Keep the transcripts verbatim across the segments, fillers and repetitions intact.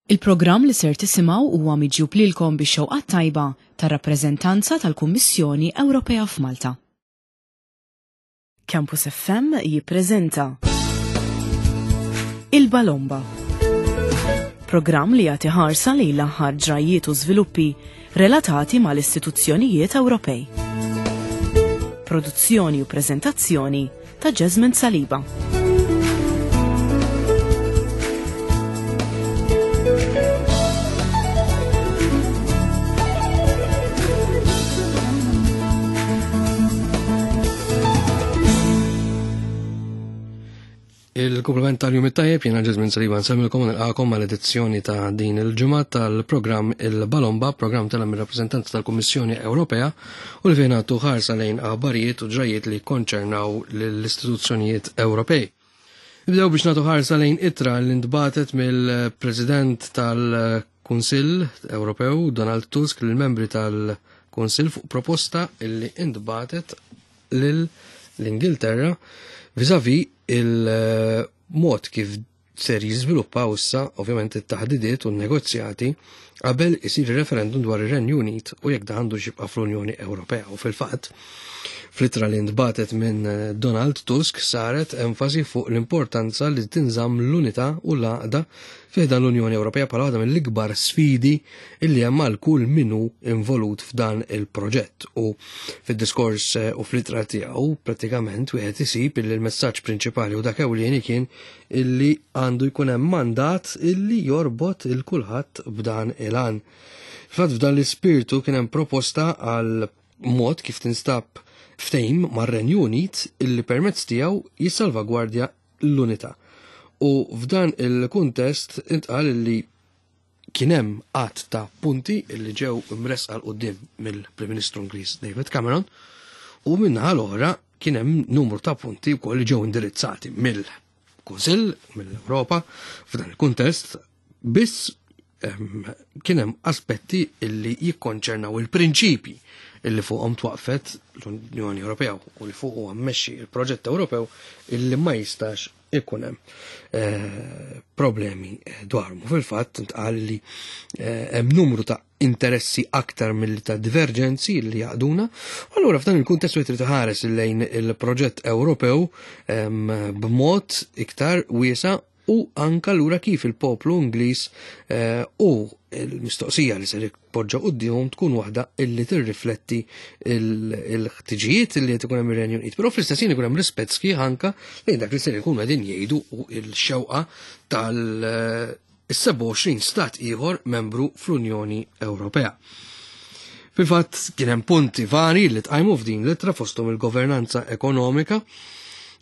Il-programm li ser tisimgħu huwa miġjub lilkom bix-xewqa tajba tar-rappreżentanza tal-Kummissjoni Ewropea f'Malta. Campus F M jippreżenta Il-Balomba. Programm li jagħti ħarsa lejn l-aħħar ġrajiet u żviluppi relatati mal-istituzzjonijiet Ewropej. Produzzjoni u preżentazzjoni ta' Jasmine Saliba. Il-komplement tal-jum it-tajjeb jiena Jasmine Saliba nsemmilkom u nilqakom mal-edizzjoni ta' din il-ġimgħa tal-programm Il-Balomba, programm tal mir-rappreżentanza tal-Kummissjoni Ewropea u li fejn għattu ħarsa lejn aħbarijiet u ġrajiet li konċernaw lill-istituzzjonijiet Ewropej. Nibdew biex nagħtu ħarsa lejn ittra li ntbatet mill-President tal-Kunsill Ewropew Donald Tusk lill-membri tal-Kunsill fuq proposta li ntbatet lill-Ingilterra vis-à-vis il-mod kif ser jiżviluppaw issa ovvjament it-taħdidiet u n-negozjati qabel isir referendum dwar ir-Renju Unit u jekk dan għandu jibqa' fl-Unjoni Ewropea. U fil-fatt, fl-ittra li ntbatet minn Donald Tusk saret enfasi fuq l-importanza li tinżamm l-unità u l-għaqda fi dan l-Unjoni Ewropea bħala waħda mill-ikbar sfidi illi hemm għal kull min hu involut f'dan il-proġett. U fid-diskors u fl-ittra tiegħu prattikament wieħed isib illi l-messaġġ prinċipali u dak ewlieni kien illi għandu jkun hemm mandat illi jorbot il kulħadd b'dan il-għan. Fil-fatt f'dan l-ispirtu kien hemm proposta għal mod kif tinstab ftehim mar-Renju Unit illi permezz tiegħu jissalvagwardja l-unità. U f'dan il-kuntest intqal illi kien hemm għadd ta' punti illi ġew imresqa 'l quddiem mill-Prim Ministru Ingliż David Cameron u min-naħa l-oħra kien hemm numru ta' punti wkoll li ġew indirizzati mill-Kunsill, mill-Ewropa f'dan il-kuntest, biss kien hemm aspetti illi jikkonċernaw il-prinċipji illi fuqhom twaqfet l-Unjoni Ewropea u li fuq huwa mmexxi il-proġett Ewropew illi ma jistax ikun hemm eh, problemi dwarhom. U fil-fatt intqal li eh, hemm numru ta' interessi aktar milli ta' divergenzi li jaqduna. U allura f'dan il-kuntest wieħed irid iħares lejn il-proġett Ewropew b'mod iktar wiesa' u anka lura kif il-poplu Ingliż eh, u l-mistoqsija li ser jpoġġa qudiemhom tkun waħda illi tirrifletti il-ħtiġijiet illi qed ikun hemm ir-Renju Unit. Però fl-istess ħin ikun hemm rispett sħiħ anka lejn dak li ser ikunu qegħdin jgħidu u l-xewqa tal-sebgħa u għoxrin stat ieħor membru fl-Unjoni Ewropea. Fil-fatt kien hemm punti vari li tqajmu f'din l-ittra fosthom il-governanza ekonomika,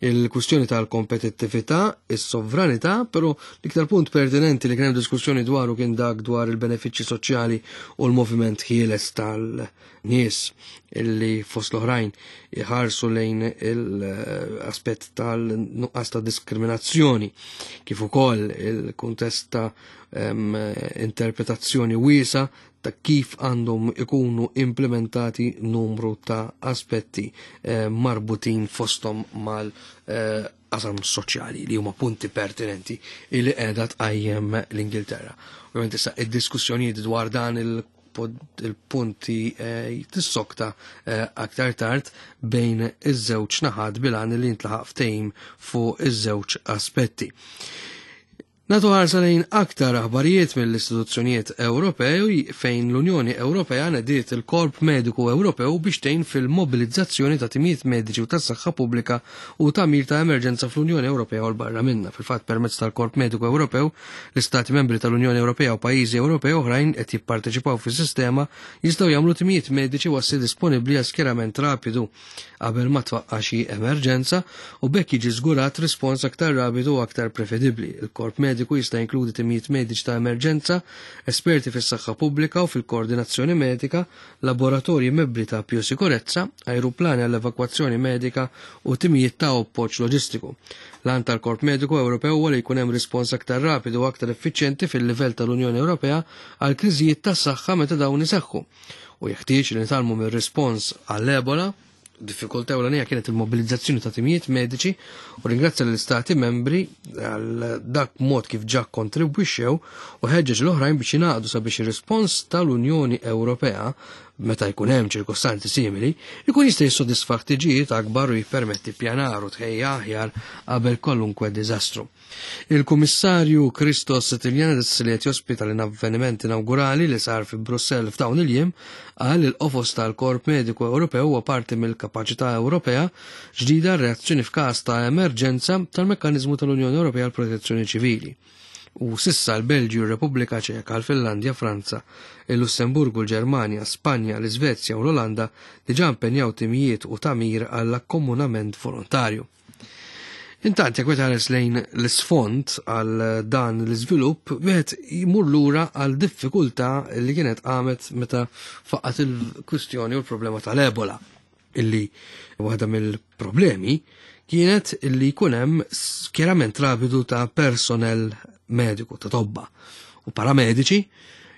il-kwistjoni tal-kompetittività, is-sovranità, però l-iktar punt pertinenti li kien hemm diskussjoni dwaru kien dak dwar il-benefiċċji soċjali u l-moviment ħieles tal-nies illi fost l-oħrajn iħarsu lejn l-aspett tal-nuqqas ta' diskriminazzjoni, kif ukoll il-kuntest ta' interpretazzjoni wiesa ta' kif għandhom ikunu implementati numru ta' aspetti eh, marbutin fosthom mal-qasam eh, soċjali li huma punti pertinenti li qiegħda tqajjem l-Ingilterra. Ovvjament issa id-diskussjonijiet dwar dan il-punti eh, tissokta eh, aktar tard bejn iż-żewġ naħat bil-għan li jintlaħaq ftehim fuq iż-żewġ aspetti. Natu ħarsa lejn aktar aħbarijiet mill-istituzzjonijiet Ewropej fejn l-Unjoni Ewropea nediet il-Korp Mediku Ewropew biex tgħin fil-mobilizzazzjoni ta' timijiet mediċi u tas-saħħa pubblika u tagħmir ta' emerġenza fl-Unjoni Ewropea u l-barra minnha. Fil-fatt permezz tal-Korp Mediku Ewropew, l-Istati membri tal-Unjoni Ewropea u pajjiżi Ewropej oħrajn qed jipparteċipaw fis-sistema jistgħu jagħmlu timijiet mediċi wassi disponibbli għal skjerament rapidu qabel ma twaqqa' xi emerġenza u b'hekk jiġi żgurat rispons aktar rapidu u aktar prevedibbli. Il-Korp Mediku jista' jinkludi timijiet mediċi ta' emerġenza, esperti fis-saħħa pubblika u fil-koordinazzjoni medika, laboratorji mebli ta' biosikurezza, ajruplani għall-evakwazzjoni medika u timijiet ta' appoġġ loġistiku. L-għan tal-Korp Mediku Ewropew huwa li jkun hemm rispons aktar rapidu u aktar effiċjenti fil-livell tal-Unjoni Ewropea għal kriżijiet tas-saħħa meta dawn iseħħu. U jeħtieġ li nitgħallmu mir-rispons għall-Ebola Diffikultà ewlenija kienet il-mobilizzazzjoni ta' timijiet mediċi u ringrazzja l-istati membri għal dak mod kif ġa kontribwixxew u ħeġġeġ l-oħrajn biex jingħaqdu sabiex ir-rispons tal-Unjoni Ewropea meta jkun hemm ċirkostanzi simili jkun jista' jissodisfa ħtiġijiet akbar u jippermetti pjanar u tħejja aħjar qabel kwalunkwe diżastru. Il-Kummissarju Christos Stylianides li qed jospita l-avveniment inawgurali li sar fi Brussell f'dawn il-jiem qal il-qofos tal-Korp Mediku Ewropew huwa parti mill-kapaċità Ewropea ġdida reazzjoni f'każ ta' emerġenza tal-Mekkaniżmu tal-Unjoni Ewropea għall Protezzjoni Ċivili. U sissa l-Belġju, r-Repubblika Ċeka, l-Finlandja, Franza, il-Lussemburgu, l-Ġermanja, Spanja, l-Iżvezja u l-Olanda diġà impenjaw timijiet u tagħmir għall-akkomunament volontarju. Intant, jekk wieħed lejn l-isfond għal dan l-iżvilupp, wieħed jmur lura għal diffikultà li kienet qamet meta faqqat il-kwistjoni u l-problema tal-Ebola, illi waħda mill-problemi kienet illi jkun hemm skjerament rapidu ta' personel mediku, ta' tobba u paramediċi,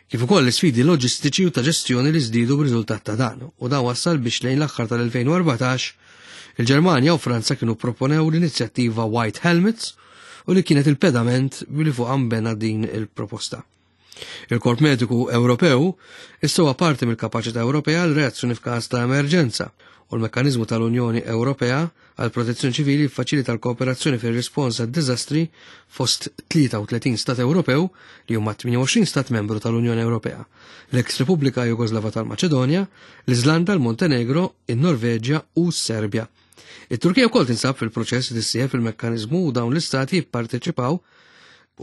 kif ukoll l-isfidi loġistiċi u ta' ġestjoni li żdiedu b'riżultat ta' dan. U dan wassal biex lejn l-aħħar tal-elfejn u erbatax il-Ġermanja u Franza kienu proponew l-inizjattiva White Helmets u li kienet il-pedament li fuq għambena din il-proposta. Il-Korp Mediku Ewropew issa huwa parti mill-kapaċità Ewropea għal reazzjoni f'każ ta' emerġenza u l-mekkaniżmu tal-Unjoni Ewropea għal protezzjoni ċivili faċilita l-kooperazzjoni fir-rispons għad-diżastri fost tlieta u tletin stat Ewropew li huma tmienja u għoxrin stat membru tal-Unjoni Ewropea, l-ex Repubblika Jugoslava tal-Maċedonja, l-Iżlanda, l-Montenegro, in-Norveġja u s-Serbja. It-Turkija wkoll tinsab fil-proċess li tissieħeb fil-mekkaniżmu u dawn l-istati jipparteċipaw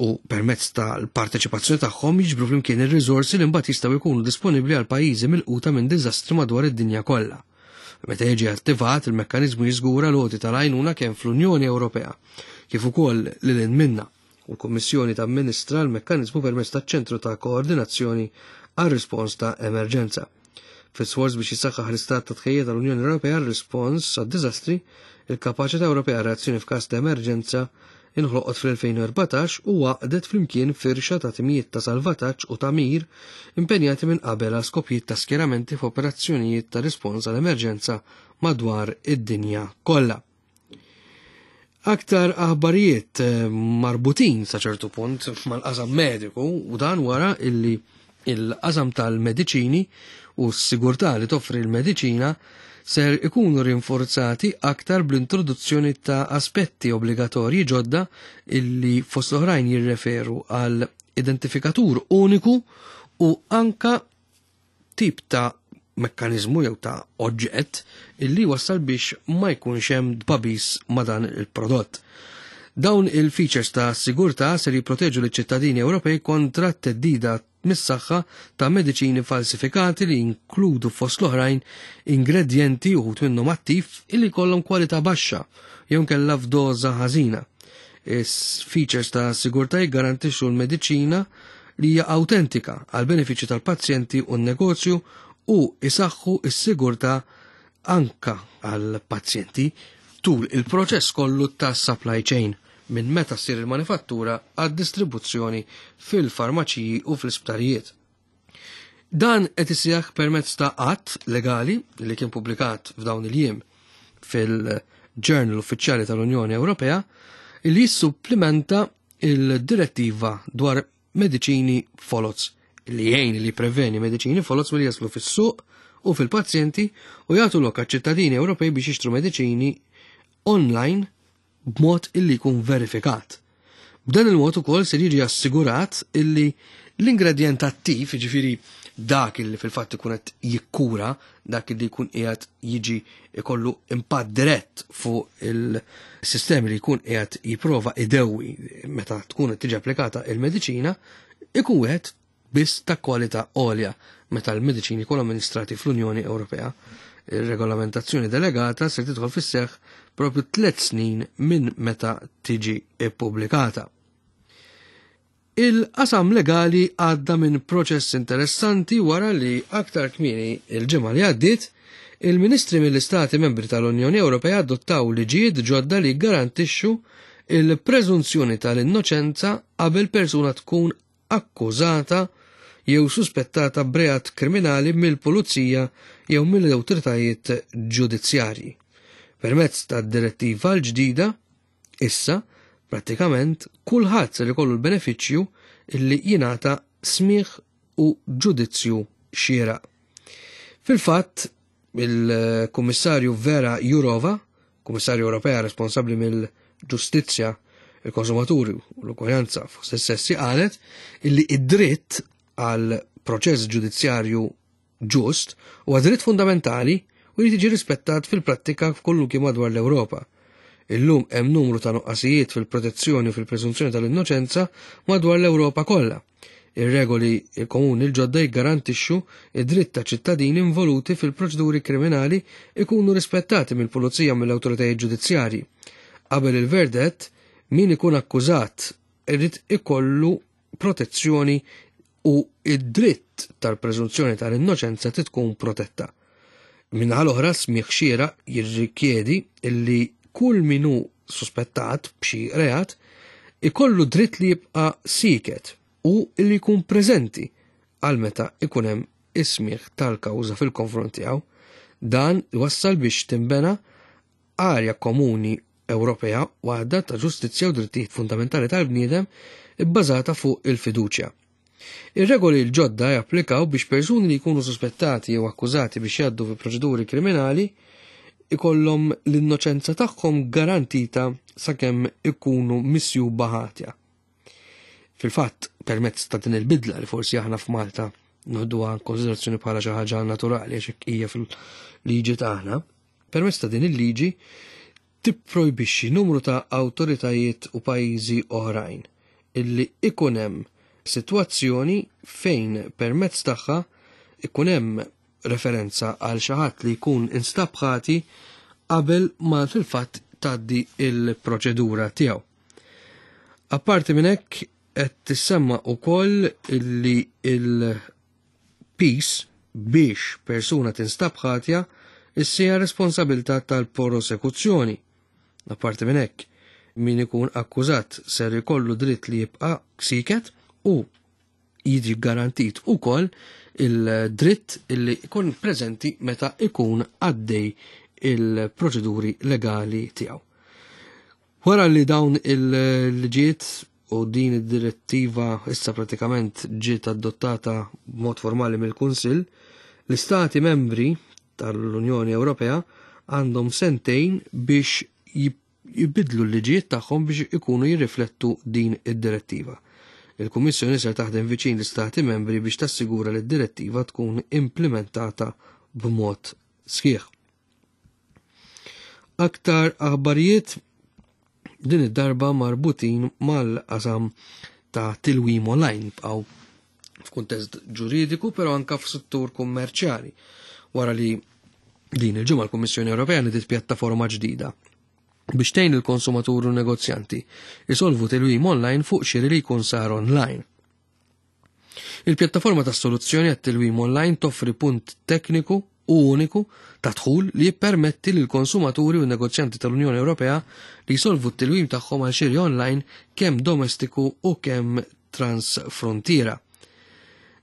u permezz tal-parteċipazzjoni tagħhom jiġbru flimkien ir-riżorsi li mbagħad jistgħu jkunu disponibbli għal pajjiżi milquta minn diżastri madwar id-dinja kollha. Meta jiġi attivat, il-mekkaniżmu jiżgura l-għoti tal-għajnuna kemm fl-Unjoni Ewropea kif ukoll lil hinn minnha, u l-Kummissjoni tamministra l-mekkaniżmu permezz taċ-Ċentru ta' Koordinazzjoni għar-Rispons ta' Emerġenza. Fis-sforz biex jisaħħaħ l-istat ta' tħejjija tal-Unjoni Ewropea għar-rispons għad-diżastri, il-kapaċità Ewropea reazzjoni f'każ ta' emerġenza inħloqot fl-elfejn u erbatax u għaqdet flimkien firxa ta' timijiet ta' salvataġġ u tagħmir impenjati minn qabel għal skopijiet ta' skjeramenti f'operazzjonijiet ta' rispons għal emerġenza madwar id-dinja kollha. Aktar aħbarijiet, eh, marbutin sa ċertu punt mal-qasam mediku u dan wara illi il-qasam tal-mediċini u s-sigurtà li toffri l-mediċina ser ikunu rinforzati aktar bl-introduzzjoni ta' aspetti obbligatorji ġodda illi fost l-oħrajn jirreferu għal identifikatur uniku u anka tip ta' mekkanizmu jew ta' oġġett illi wassal biex ma jkunx hemm dbabis ma' dan il-prodott. Dawn il-features ta' sigurtà ser jipproteġu liċ-ċittadini Ewropej kontra t-teddida mis-saħħa ta' mediċini falsifikati li jinkludu fost l-oħrajn ingredjenti uħud minnhom attiv illi jkollhom kwalità baxxa jew nkella f'doża ħażina. Is-features ta' sigurtà jiggarantixxu l-mediċina li hija awtentika għal benefiċċju tal-pazjenti u n-negozju u isaħħu s-sigurtà anka għal pazjenti tul il-proċess kollu ta' supply chain minn meta ssir il-manifattura għad-distribuzzjoni fil-farmaċiji u fl-isptarijiet. Dan qed isseħħ permezz ta' att legali li kien pubblikat f'dawn il-jiem fil-Journal Uffiċjali tal-Unjoni Ewropea li jissupplimenta il-direttiva dwar mediċini foloz li jgħin li preveni mediċini foloz milli jaslu fis-suq u fil-pazjenti u jagħtu lok għaċ-ċittadini Ewropej biex jixtru mediċini online b'mod illi jkun verifikat. B'dan il-mod ukoll se jiġi assigurat illi l-ingredjent attiv, jiġifieri dak illi fil-fatt ikun qed jikkura, dak illi jkun qiegħed jiġi ikollu impatt dirett fuq il-sistemi li jkun qiegħed jipprova idewwi meta tkun qed tiġi applikata il-mediċina, ikun wieħed biss ta' kwalità għolja meta l-mediċini jkunu amministrati fl-Unjoni Ewropea. Ir-regolamentazzjoni delegata se tidħol fis-seħħ propju tliet snin minn meta tiġi ippubblikata. Il-qasam legali għadda minn proċess interessanti wara li aktar kmieni il-ġimgħa li għaddiet, il-ministri mill-Istati Membri tal-Unjoni Ewropea adottaw liġijiet ġodda li garantixxu il-preżunzjoni tal-innoċenza qabel persuna tkun akkużata jew suspettata b'reat kriminali mill-pulizija jew mill-awtoritajiet ġudizzjarji. Permezz tad-direttiva l-ġdida, issa prattikament kulħadd ser ikollu l-benefiċċju illi jingħata smigħ u ġudizzju xieraq. Fil-fatt, il-Kummissarju Vera Jourova, Kummissarju Ewropea responsabbli mill-ġustizzja, il-konsumaturi u l-ugwaljanza fost is-sessi, qalet illi id-dritt għal proċess ġudizzjarju ġust huwa dritt fundamentali u jrid jiġi rispettat fil-prattika f'kullu kien madwar l-Ewropa. Illum hemm numru ta' nuqqasijiet fil-protezzjoni u fil-preżunzjoni tal-innoċenza madwar l-Ewropa kollha. Ir-regoli komuni l-ġodda jiggarantixxu id-dritt ta' ċittadini involuti fil-proċeduri kriminali ikunu rispettati mill-pulizija u mill-awtoritajiet ġudizzjarji. Qabel il-verdett, min ikun akkużat irid ikollu protezzjoni u id-dritt tal-preżunzjoni tal-innoċenza tkun protetta. Min-naħa l-oħra, smigħ xieraq jirrikjedi illi kull min hu suspettat b'xi reat ikollu dritt li jibqa' siket u illi jkun preżenti għal meta ikun hemm is-smigħ tal-kawża fil-konfront tiegħu. Dan iwassal biex tinbena arja komuni Ewropea waħda ta' ġustizzja u drittijiet fundamentali tal-bniedem ibbażata fuq il-fiduċja. Ir-regoli l-ġodda japplikaw biex persuni li jkunu suspettati jew akkużati biex jgħaddu fi proċeduri kriminali ikollhom l-innoċenza tagħhom garantita sakemm ikunu misjuba ħatja. Fil-fatt, permezz ta' din il-bidla li forsi aħna f'Malta noħduha konsiderazzjoni bħala xi ħaġa naturali għax hekk hija fil-liġi tagħna, permezz ta' din il-liġi tipprojbixxi numru ta' awtoritajiet u pajjiżi oħrajn illi ikun hemm sitwazzjoni fejn permezz tagħha ikun hemm referenza għal xi ħadd li jkun instab ħati qabel ma fil-fatt tgħaddi il-proċedura tiegħu. Apparti minn hekk qed tissemma wkoll illi il-piż biex persuna tinstab ħatja issija responsabilità tal-prosekuzzjoni. Apparti minn hekk, min ikun akkużat ser ikollu dritt li jibqa' siket u jiġi garantit ukoll il-dritt illi jkun preżenti meta ikun għaddej il-proċeduri legali tiegħu. Wara li dawn il-liġijiet u din id-direttiva issa pratikament ġiet adottata b'mod formali mill-Kunsill, l-Istati membri tal-Unjoni Ewropea għandhom sentejn biex jibidlu l-liġijiet tagħhom biex ikunu jirriflettu din id-direttiva. Il-Kummissjoni ser taħdem viċin l-Istati membri biex tassigura li d-direttiva tkun implementata b'mod sħiħ. Aktar aħbarijiet din id-darba marbutin mal-qasam ta' tilwim online bqgħu f'kuntest ġuridiku, però anka f'settur kummerċjali. Wara li din il-ġimgħa l-Kummissjoni Ewropea nidiet pjattaforma ġdida biex tgħin il-konsumatur u negozjanti isolvu tilwim online fuq xiri li jkun sar online. Il-pjattaforma ta' soluzzjoni għat-tilwim online toffri punt tekniku u uniku ta' dħul li jippermetti lil konsumaturi u negozjanti tal-Unjoni Ewropea li jsolvu t-tilwim tagħhom għal xiri online kemm domestiku u kemm transfrontiera.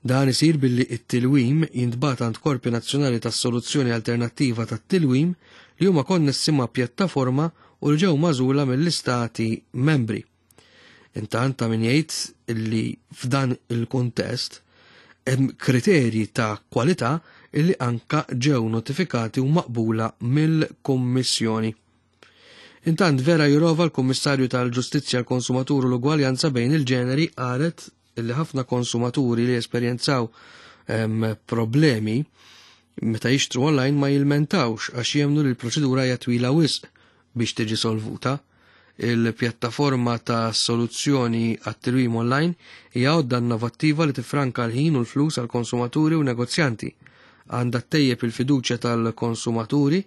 Dan isir billi it-tilwim jintbagħat għand korpi nazzjonali tas-soluzzjoni alternattiva tat-tilwim li huma konnessi ma' pjattaforma u li ġew magħżula mill-istati membri. Intant ta' min jgħid li f'dan il-kuntest hemm kriterji ta' kwalità illi anka ġew notifikati u maqbula mill-Kummissjoni. Intant Vera Jourova, l-Kummissarju tal-Ġustizzja, l-Konsumatur u l-Ugwaljanza bejn il-ġeneri, qalet illi ħafna konsumaturi li esperjenzaw problemi meta jixtru online ma jilmentawx għax jemnu li l-proċedura hija twila wisq biex tiġi solvuta. Il-pjattaforma ta' soluzzjoni għat-tilwim online hija għodda innovattiva li tifranka l-ħin u l-flus għal konsumaturi u negozjanti. Għandha ttejjeb il-fiduċja tal-konsumaturi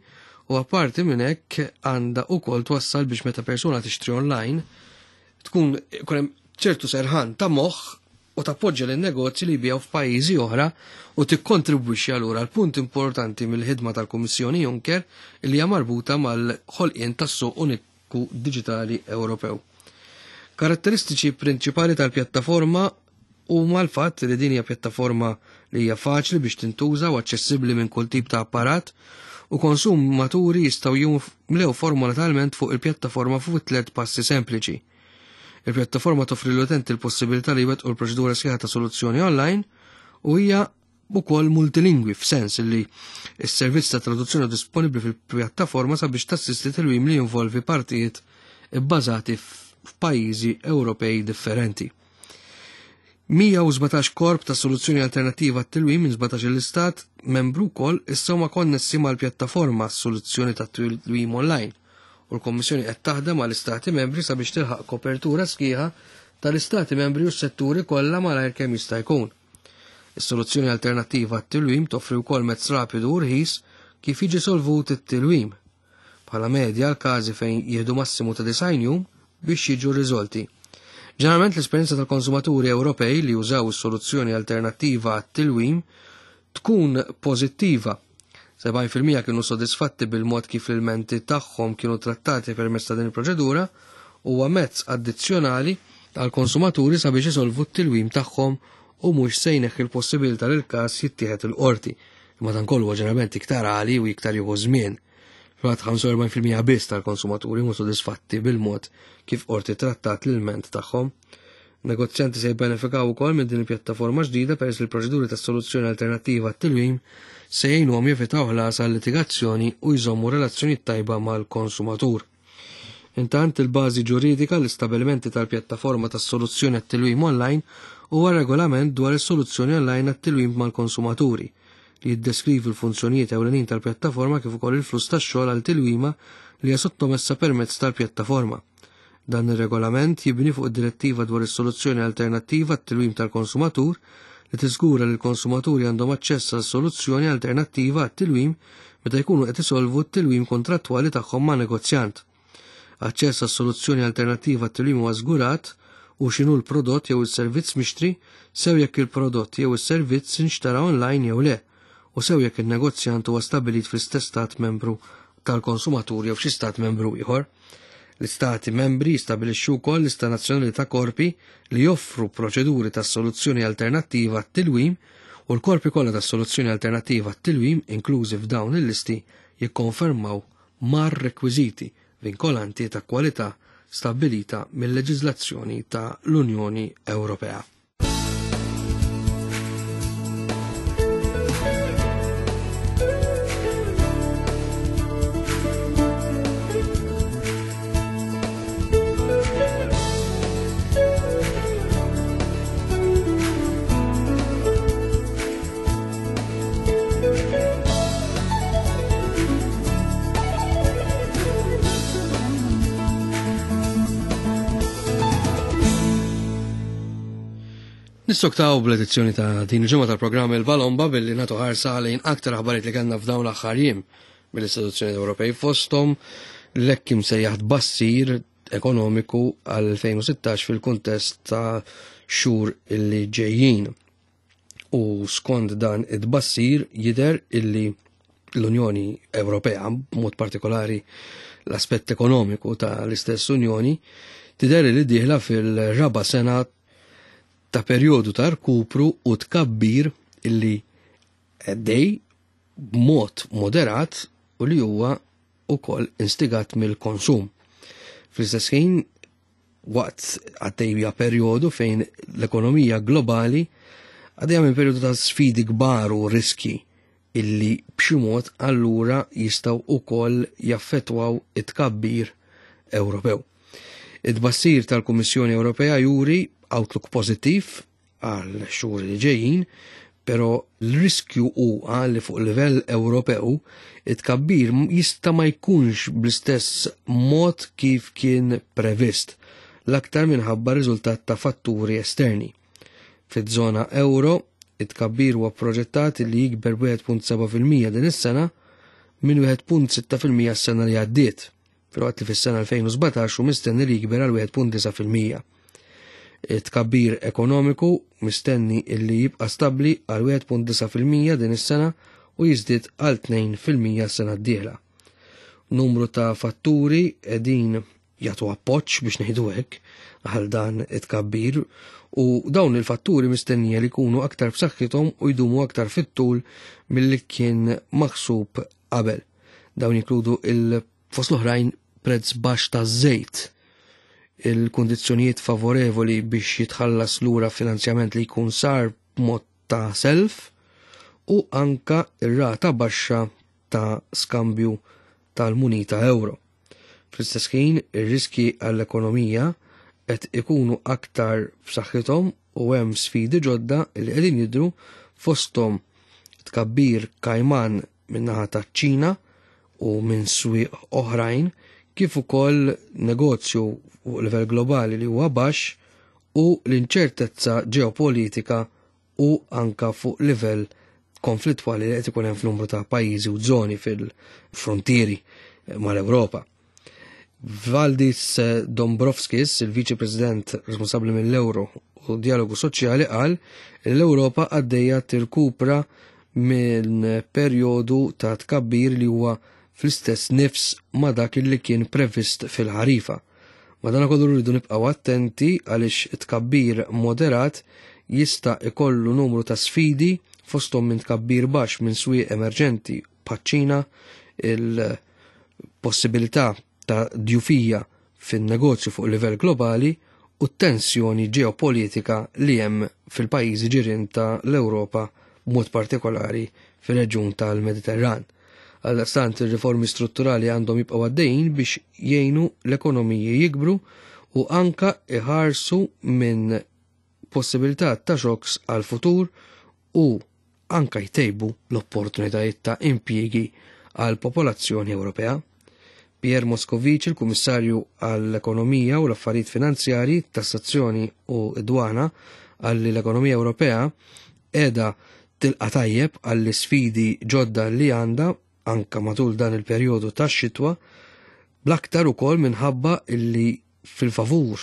u apparti minn hekk għandha wkoll twassal biex meta persuna tixtri online tkun ikun hemm ċertu serħan ta' moħħ u tappoġġja lin negozji li jbigħu f'pajjiżi oħra u tikkontribwixxi allura għal punt importanti mill-ħidma tal-Kummissjoni Juncker li hija marbuta mal-ħolqien tas-suq uniku diġitali Ewropew. Karatteristiċi prinċipali tal-pjattaforma huma l-fatt li din hija pjattaforma li hija faċli biex tintuża u aċċessibbli minn kull tip ta' apparat u konsumaturi jistgħu jimlew formola talment fuq il-pjattaforma fuq tliet passi sempliċi. Il-pjattaforma toffri l-utenti l-possibilità li jwettqu l-proċedura sħiħa ta' soluzzjoni online u hija ukoll multilingwi f'sens li s-servizz ta' traduzzjoni disponibbli fil-pjattaforma sabiex tassisti tilwim li jinvolvi partijiet ibbażati f'pajjiżi Ewropej differenti. mija u sbatax korp ta' soluzzjoni alternattiva għat-tilwim minn sbatax l-istat membru wkoll issa huma konnessi mal-pjattaforma soluzzjoni ta' tilwim online u l-Kommissjoni qed taħdem mal-istati membri sabiex tilħaq kopertura sħiħa tal-istati membri u s-setturi kollha malajr kemm jista' jkun. Is-soluzzjoni alternattiva għat-tilwim toffri wkoll mezz rapidu u rħis kif jiġi solvut it-tilwim. Bħala medja l-każi fejn jieħdu massimu ta' disgħin jum biex jiġu riżolti. Ġeneralment l-esperjenza tal-konsumaturi Ewropej li jużaw is-soluzzjoni alternattiva għat-tilwim tkun pożittiva. sebgħin fil-mija kienu sodisfatti bil-mod kif l-ilmenti tagħhom kienu trattati permezz ta' din il-proċedura u huwa mezz addizzjonali għall-konsumaturi sabiex isolvu t-tilwim tagħhom u mhux se jneħħi l-possibilità li l-każ jittieħed il-qorti. Imma dan kollu huwa ġeneralment iktar għali u iktar jieħu żmien. Fil-fatt ħamsa u erbgħin fil-mija biss tal-konsumaturi mhux sodisfatti bil-mod kif qorti trattat l-ilment tagħhom. Negozjanti se jibbenefikaw ukoll minn din il-pjattaforma ġdida peress li l-proċeduri tas-soluzzjoni alternattiva għat-tilwim se jgħinuhom jevitaw ħlas għal litigazzjoni u jżommu relazzjoni tajba mal-konsumatur. Intant il-bażi ġuridika l-istabilimenti tal-pjattaforma tas-soluzzjoni għat-tilwim online huwa regolament dwar is-soluzzjoni online għat-tilwim mal-konsumaturi li jiddeskrivi l-funzjonijiet ewlenin tal-pjattaforma kif ukoll il-fluss tax-xogħol għal tilwima li hija sottomessa permezz tal-pjattaforma. Dan ir-regolament jibni fuq id-direttiva dwar is-soluzzjoni alternattiva għat-tilwim tal-konsumatur li tiżgura li l-konsumaturi għandhom aċċess għal soluzzjoni alternattiva għat-tilwim meta jkunu qed isolvu t-tilwim kontrattwali tagħhom ma' negozjant. Aċċess għal soluzzjoni alternattiva għat-tilwim huwa żgurat u x'inhu l-prodott jew is-servizz mixtri sew jekk il-prodott jew is-servizz inxtara online jew le, u sew jekk in-negozjant huwa stabbilit fl-istess stat membru tal-konsumatur jew f'xi stat membru ieħor. L-istati membri jistabilixxu wkoll lista nazzjonali ta' korpi li joffru proċeduri ta' soluzzjoni alternattiva għat-tilwim u l-korpi kollha ta' soluzzjoni alternattiva għat-tilwim inklużi f'dawn il-listi jikkonfermaw mar-rekwiżiti vinkolanti ta' kwalità stabbilita mill-leġiżlazzjoni ta' l-Unjoni Ewropea. Nistoktaw bl-edizzjoni ta' din il-ġimgħa tal-programm Il-Balomba billi nagħtu ħarsa lejn aktar aħbarijiet li kellna f'dawn l-aħħar jiem mill-istituzzjoni Ewropej fosthom l-hekk imsejjaħ tbassir ekonomiku għal elfejn u sittax fil-kuntest ta' xhur illi ġejjin. U skont dan it-tbassir jidher illi l-Unjoni Ewropea, b'mod partikolari l-aspett ekonomiku ta' l-istess Unjoni, tidher li dieħla fil-raba' sena ta' perjodu ta' rkupru u tkabbir illi għaddej b'mod moderat u li huwa ukoll instigat mill-konsum. Fl-istess ħin, waqt għaddejja perjodu fejn l-ekonomija globali għaddejja minn perjodu ta' sfidi kbar u riski illi b'xi mod allura jistgħu ukoll jaffettwaw it-tkabbir Ewropew. It-tbassir tal-Kummissjoni Ewropea juri outlook pożittiv għal xhur li ġejjin, però l-riskju huwa li fuq livell Ewropew it-tkabbir jista' ma jkunx bl-istess mod kif kien previst, l-aktar minħabba riżultat ta' fatturi esterni. Fiż-żona euro, it-tkabbir huwa proġettat li jikber b'wieħed punt seba' fil-mija din is-sena minn wieħed punt sitta fil-mija s-sena li għaddiet, filwaqt li fis-sena elfejn u sbatax hu mistenni li jikber għal wieħed punt disa' fil-mija. It-tkabbir ekonomiku mistenni illi jibqa' stabbli għal wieħed punt disa' fil-mija din is-sena u jiżdied għal tnejn fil-mija s-sena d-dieħla. Numru ta' fatturi qegħdin jagħtu appoġġ biex ngħidu hekk għal dan it-tkabbir, u dawn il-fatturi mistennija li jkunu aktar b'saħħithom u jdumu aktar fit-tul milli kien maħsub qabel. Dawn jinkludu il fost l-oħrajn prezz baxx taż-żejt, il-kundizzjonijiet favorevoli biex jitħallas lura finanzjament li jkun sar b'mod ta' self, u anka ir-rata baxxa ta' skambju tal-munita euro. Fl-istess ħin, ir-riski għall-ekonomija qed ikunu aktar b'saħħithom u hemm sfidi ġodda li qegħdin jidhru, fosthom tkabbir kajman min-naħa taċ-Ċina u minn swieq oħrajn, kif ukoll negozju fuq livell globali li huwa baxx u l-inċertezza ġeopolitika u anka fuq livell konflittwali li qed ikun hemm f'numru ta' pajjiżi u żoni fil-frontieri mal-Ewropa. Valdis Dombrovskis, il-Viċi President responsabbli mill-Euro u Dialogu Soċjali, qal li l-Ewropa għaddejja tirkupra minn perjodu ta' tkabbir li huwa fl-istess nifs ma' dak li kien previst fil-ħarifa. Madankollu rridu nibqgħu attenti għaliex tkabbir moderat jista' ikollu numru ta' sfidi, fosthom minn tkabbir baxx minn swieq emerġenti bħaċ-Ċina, il-possibilità ta' djufija fin-negozju fuq livell globali u t-tensjoni ġeopolitika li hemm fil-pajjiżi ġirien ta' l-Ewropa, b'mod partikolari fir-reġjun tal-Mediterran. Għaldaqstant ir-riformi strutturali għandhom jibqgħu għaddejjin biex jgħinu l-ekonomiji jikbru u anka iħarsu minn possibilità ta' xoks għal-futur u anka jtejbu l-opportunitajiet ta' impjiegi għal popolazzjoni Ewropea. Pierre Moscovici, il-Kummissarju għall-Ekonomija u l-Affarijiet Finanzjarji, Tassazzjoni u Dwana, għalli l-ekonomija Ewropea qiegħda tilqa' tajjeb għall sfidi ġodda li għandha anka matul dan il-perjodu tax-xitwa, bl-aktar ukoll minħabba illi fil-favur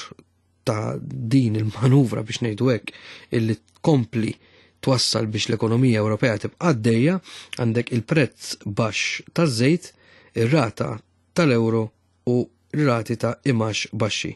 ta' din il-manuvra biex ngħidu hekk illi tkompli twassal biex l-ekonomija Ewropea tibqa' għaddejja, għandek il-prezz baxx taż-żejt, ir-rata tal-euro u r-rati ta' imax baxxi.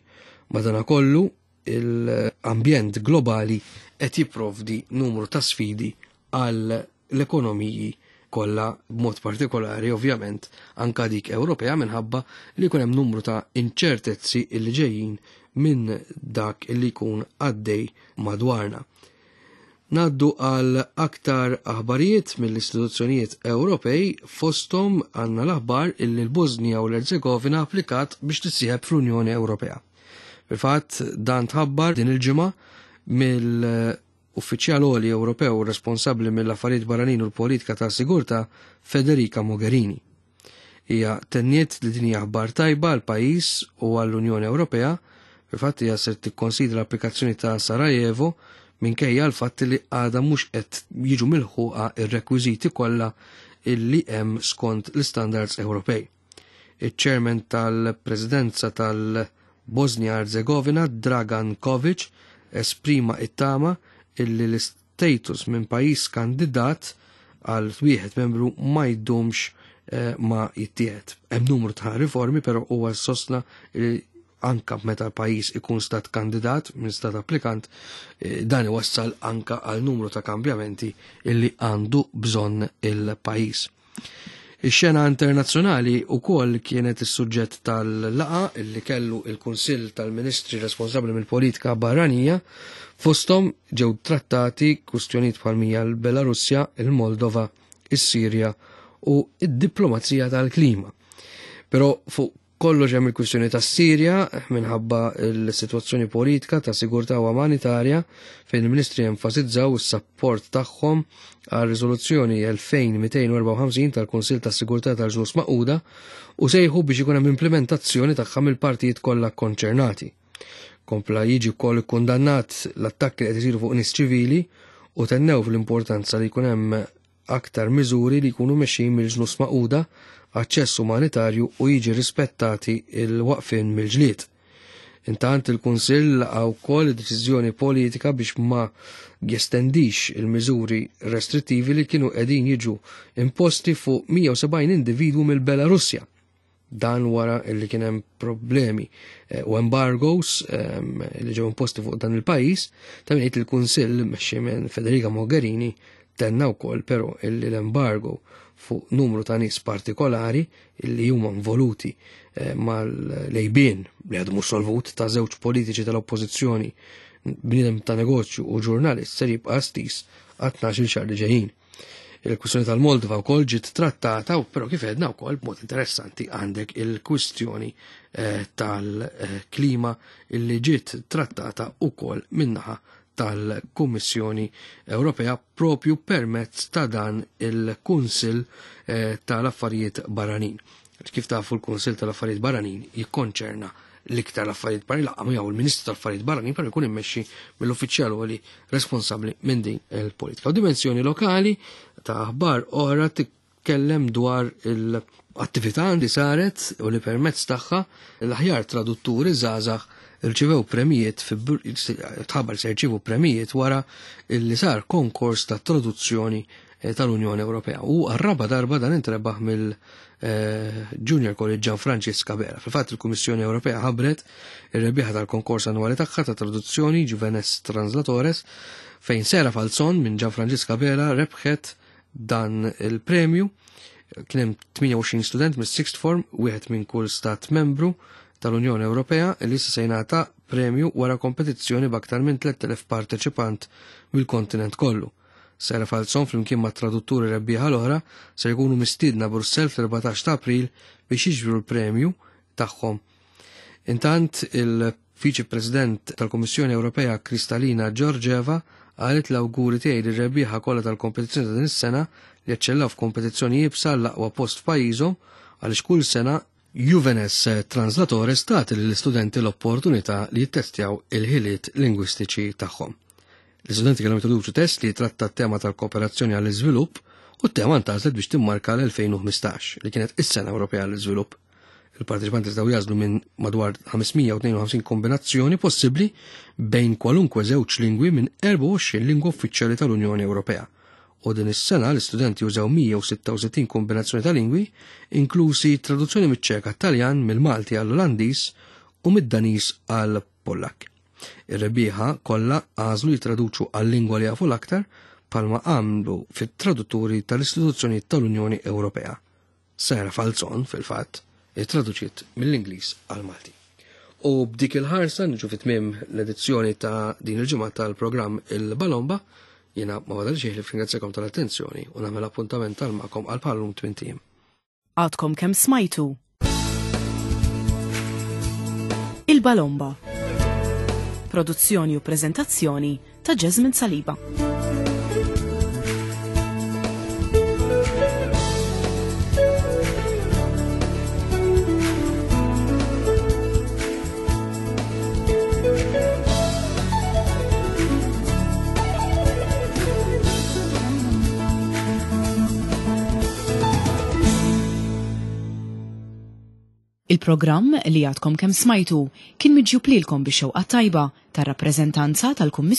Madanakollu l-ambjent globali qed jipprovdi numru ta' sfidi għal l-ekonomiji kollha, b'mod partikolari ovvjament anka dik Ewropea, minħabba li jkun hemm numru ta' inċertezzi illi ġejjin minn dak illi jkun għaddej madwarna. Naddu għal aktar aħbarijiet mill-istituzzjonijiet Ewropej, fosthom għandna l-aħbar illi l-Bosnja u l-Erzegovina applikat biex tissieħeb fl-Unjoni Ewropea. Fil-fatt dan tħabbar din il-ġimgħa mill-uffiċjal għoli Ewropew responsabbli mill-affarijiet barranin u l-politika ta' sigurtà Federica Mogherini. Hija tenniet li din hija aħbar tajba għal pajjiż u għall-Unjoni Ewropea. Fil-fatt hija se tikkonsidra l-applikazzjoni ta' Sarajevo minkejja l-fatt li għadha mhux qed jiġu milħuqa ir-rekwiżiti kollha illi hemm skont l-istandards Ewropej. Iċ-chairman tal-Presidenza tal-Bosnia Herzegovina, Dragan Kovic, esprima it-tama illi l-status minn pajjiż kandidat għal wieħed membru ma jdumx eh, ma jittieħed. Hemm numru ta' riformi, però huwa sostna li anka meta pajjiż ikun stat kandidat minn stat applikant, eh, dan iwassal anka għal numru ta' kambjamenti illi għandu bżonn il-pajjiż. Ix-xena internazzjonali wkoll kienet is-suġġett tal-laqa illi kellu il-Kunsill tal-Ministri responsabbli mill-politika barranija, fosthom ġew trattati kwistjonijiet bħal mija l-Belarusja, il-Moldova, is-Sirja u id-diplomazija tal-klima. Però fuq kollox hemm il-kwistjoni tas-Sirja minħabba l-sitwazzjoni politika ta' sigurtà u umanitarja, fejn il-Ministri enfasizzaw is-sapport tagħhom għal riżoluzzjoni elfejn mitejn u erbgħa u ħamsin tal-Kunsill tas-Sigurtà tal-Ġnus Magħquda u sejħu biex ikun hemm implementazzjoni tagħha mill-partijiet kollha konċernati. Kompla jiġi wkoll ikkundannat l-attakki li qed isiru fuq nies ċivili u tennew fl-importanza li jkun hemm aktar miżuri li jkunu mexxin mill-Ġnus Magħquda, aċċess umanitarju u jiġi rispettati il-waqfien mill-ġlied. Intant il-Kunsill laqa' wkoll deċiżjoni politika biex ma jestendix il-miżuri restrittivi li kienu qegħdin jiġu imposti fuq mija u sebgħin individwu mill-Belarusja. Dan wara li kien hemm problemi eh, u embargoes ehm, li ġew imposti fuq dan il-pajjiż, ta' min il-Kunsill mexxi minn Federica Mogherini tenna wkoll però illi l-embargo fuq numru ta' nies partikolari illi huma involuti eh, mal-lejbien li għadu mhux solvut ta' żewġ politiċi tal-oppożizzjoni, bniedem ta' negozju u ġurnalist, ser jibqa' stis għal tnax-il xahar li ġejjin. Il-kwistjoni tal-Moldova wkoll ġiet trattata, u però kif għedna wkoll b'mod interessanti għandek il-kwistjoni eh, tal-klima illi ġiet trattata wkoll min-naħa tal-Kummissjoni Ewropea propju permezz ta' dan il-Kunsill eh, tal-Affarijiet Barranin. Kif tafu, l-Kunsill tal-Affarijiet Barranin jikkonċerna l-iktar l-affarijiet barranin, laqgħa miegħu il-Ministru tal-Affarijiet Barranin, però jkun immexxi mill-uffiċjal li responsabbli minn din il-politika. U dimensjoni lokali ta' aħbar oħra titkellem dwar il-attività li saret u li permezz tagħha l-aħjar tradutturi żgħażagħ irċivew premijiet, tħabbar se jirċievu premijiet wara li sar konkors ta' traduzzjoni eh, tal-Unjoni Ewropea. U għar-raba darba dan intrebaħ mill eh, Junior College Gian Francis Abela. Fil-fatt, il-Kummissjoni Ewropea ħabbret ir-rebbieħa tal-konkors annwali tagħha ta' traduzzjoni Juvenes Translatores, fejn Sera Falzon minn Gian Francis Abela rebħet dan il-premju. Kien hemm tmienja u għoxrin student mis-sixth form, wieħed minn kull stat membru tal-Unjoni Ewropea, li se jingħata premju wara kompetizzjoni b'aktar minn tliet elef parteċipant mill-kontinent kollu. Sera Falzon flimkien ma' tradutturi rebbieħa l-oħra se jkunu mistiedna Brussell fl-erbatax ta' April biex jiġbru l-premju tagħhom. Intant, il-Viċi President tal-Kummissjoni Ewropea Kristalina Georgieva qalet: "L-awguri tiegħi lir-rebbieħa kollha tal-kompetizzjoni ta' din is-sena li eċċellaw f'kompetizzjoni iebsa l-aqwa post f'pajjiżhom, għaliex kull sena Juvenes Translatores tagħti lill-istudenti l-opportunità li jittestjaw il-ħiliet lingwistiċi tagħhom." L-istudenti kellhom jintroduċu test li jitratta t-tema tal-kooperazzjoni għall-iżvilupp, u t-tema ntgħażlet biex timmarka l-elfejn u ħmistax, li kienet is-sena Ewropea għall-iżvilupp. Il-parteċipanti jistgħu jagħżlu minn madwar ħames mija u tnejn u ħamsin kombinazzjoni possibbli bejn kwalunkwe żewġ lingwi minn erbgħa u għoxrin lingwa uffiċjali tal-Unjoni Ewropea. U din is-sena l-istudenti użaw mija u sitta u sittin kombinazzjoni ta' lingwi, inklusi traduzzjoni miċ-Ċeka Taljan, mill-Malti għall-Olandiż u mid-Daniż għall-Pollak. Ir-rebbieħa kollha għażlu jitraduċu għal-lingwa li jafu l-aktar, bħalma għamlu fit-tradutturi tal-istituzzjoni tal-Unjoni Ewropea. Sera Falzon, fil-fatt, ittraduċiet mill-Ingliż għal-Malti. U b'dik il-ħarsa niġu fit-tmiem l-edizzjoni ta' din il-ġimgħa tal-programm Il-Balomba. Jiena ma badal xejn ħlief nirringrazzjakom tal-attenzjoni u nagħmel appuntament tal magħkom għal bħal-lum tmint ijiem. Għadkom kemm smajtu Il-Balomba. Produzzjoni u prezentazzjoni ta' Jasmine Saliba. Il-programm li għadkom kemm smajtu kien miġjub lilkom bix-xewqa tajba tar-rappreżentanza tal-Kummissjoni.